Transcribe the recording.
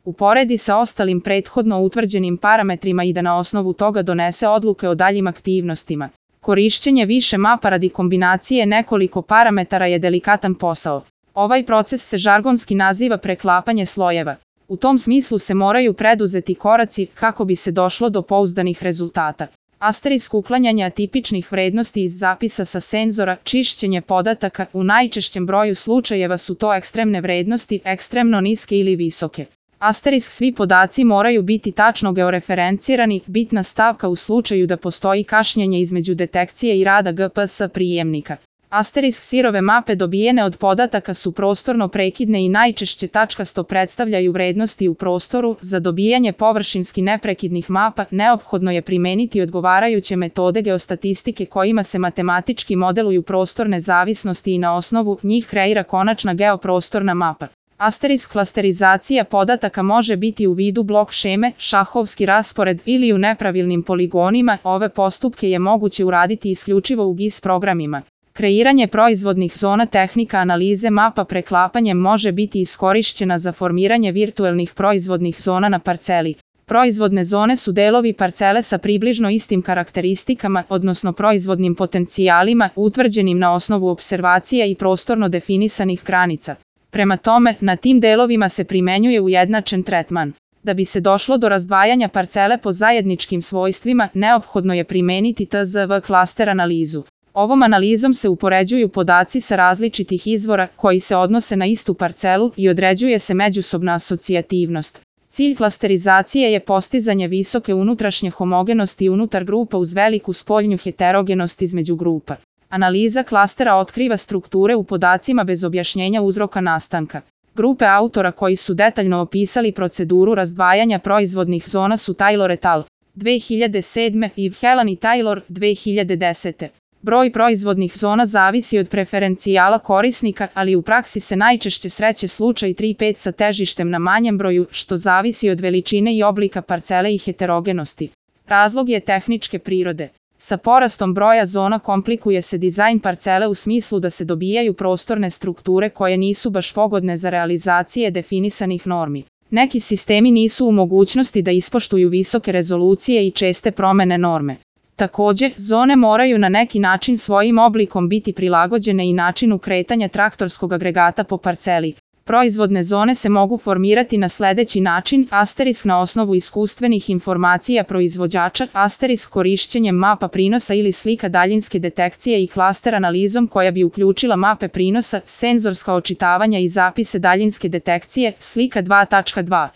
uporedi sa ostalim prethodno utvrđenim parametrima i da na osnovu toga donese odluke o daljim aktivnostima. Korišćenje više mapa radi kombinacije nekoliko parametara je delikatan posao. Ovaj proces se žargonski naziva preklapanje slojeva. U tom smislu se moraju preduzeti koraci kako bi se došlo do pouzdanih rezultata. Asterisk uklanjanja atipičnih vrednosti iz zapisa sa senzora, čišćenje podataka, u najčešćem broju slučajeva su to ekstremne vrednosti, ekstremno niske ili visoke. Asterisk svi podaci moraju biti tačno georeferencirani, bitna stavka u slučaju da postoji kašnjenje između detekcije i rada GPS prijemnika. Asterisk sirove mape dobijene od podataka su prostorno prekidne i najčešće tačkasto predstavljaju vrednosti u prostoru. Za dobijanje površinski neprekidnih mapa neophodno je primeniti odgovarajuće metode geostatistike kojima se matematički modeluju prostorne zavisnosti i na osnovu njih kreira konačna geoprostorna mapa. Asterisk klasterizacija podataka može biti u vidu blok šeme, šahovski raspored ili u nepravilnim poligonima. Ove postupke je moguće uraditi isključivo u GIS programima. Kreiranje proizvodnih zona. Tehnika analize mapa preklapanjem može biti iskorišćena za formiranje virtuelnih proizvodnih zona na parceli. Proizvodne zone su delovi parcele sa približno istim karakteristikama, odnosno proizvodnim potencijalima, utvrđenim na osnovu opservacija i prostorno definisanih granica. Prema tome, na tim delovima se primenjuje ujednačen tretman. Da bi se došlo do razdvajanja parcele po zajedničkim svojstvima, neophodno je primeniti TZV klaster analizu. Ovom analizom se upoređuju podaci sa različitih izvora koji se odnose na istu parcelu i određuje se međusobna asocijativnost. Cilj klasterizacije je postizanje visoke unutrašnje homogenosti unutar grupa uz veliku spoljnju heterogenost između grupa. Analiza klastera otkriva strukture u podacima bez objašnjenja uzroka nastanka. Grupe autora koji su detaljno opisali proceduru razdvajanja proizvodnih zona su Taylor et al. 2007. i Helan i Taylor 2010. Broj proizvodnih zona zavisi od preferencijala korisnika, ali u praksi se najčešće sreće slučaj 3-5 sa težištem na manjem broju, što zavisi od veličine i oblika parcele i heterogenosti. Razlog je tehničke prirode. Sa porastom broja zona komplikuje se dizajn parcele u smislu da se dobijaju prostorne strukture koje nisu baš pogodne za realizacije definisanih normi. Neki sistemi nisu u mogućnosti da ispoštuju visoke rezolucije i česte promene norme. Takođe, zone moraju na neki način svojim oblikom biti prilagođene i načinu kretanja traktorskog agregata po parceli. Proizvodne zone se mogu formirati na sledeći način: asterisk na osnovu iskustvenih informacija proizvođača, asterisk korišćenjem mapa prinosa ili slika daljinske detekcije i klaster analizom koja bi uključila mape prinosa, senzorska očitavanja i zapise daljinske detekcije, slika 2.2.